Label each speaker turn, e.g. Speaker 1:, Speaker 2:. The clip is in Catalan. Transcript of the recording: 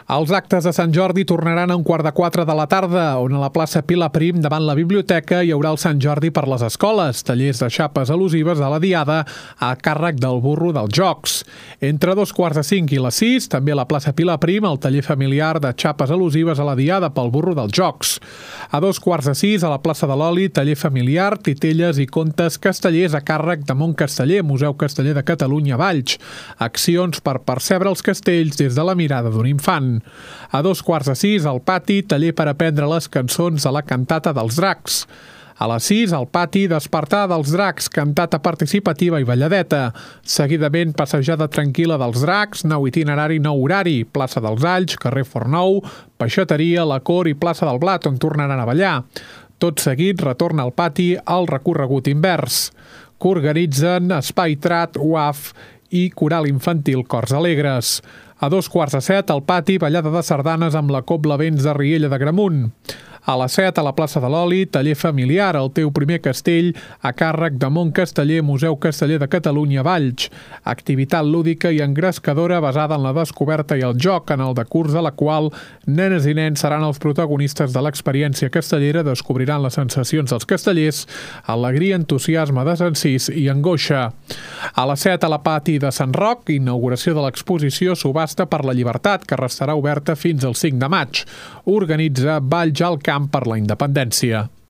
Speaker 1: Els actes de Sant Jordi tornaran a 3:15 de la tarda, on a la plaça Pilar Prim, davant la biblioteca, hi haurà el Sant Jordi per les escoles, tallers de xapes al·lusives a la Diada a càrrec del burro dels jocs. Entre 5:15 i les 6, també a la plaça Pilar Prim, el taller familiar de xapes al·lusives a la Diada pel burro dels jocs. A 5:15, a la plaça de l'Oli, taller familiar, titelles i contes castellers a càrrec de Montcasteller, Museu Casteller de Catalunya, Valls. Accions per percebre els castells des de la mirada d'un infant. A 5:15, al pati, taller per aprendre les cançons de la cantata dels dracs. A les 6, al pati, despertar dels dracs, cantata participativa i balladeta. Seguidament, passejada tranquil·la dels dracs, nou itinerari, nou horari, plaça dels Alls, carrer Fornou, peixateria, la Cor i plaça del Blat, on tornaran a ballar. Tot seguit, retorna al pati al recorregut invers, que organitzen Espai Trat, UAF i Coral Infantil Cors Alegres. A 5:45, al pati, ballada de sardanes amb la Cobla Vents de Riella de Gramunt. A les 7, a la plaça de l'Oli, taller familiar, el teu primer castell, a càrrec de Montcasteller, Museu Casteller de Catalunya, Valls. Activitat lúdica i engrescadora basada en la descoberta i el joc, en el decurs de la qual nenes i nens seran els protagonistes de l'experiència castellera, descobriran les sensacions dels castellers, alegria, entusiasme, desencís i angoixa. A les 7, a la pati de Sant Roc, inauguració de l'exposició Subhasta per la Llibertat, que restarà oberta fins al 5 de maig. Organitza Valls al Camp per la Independència.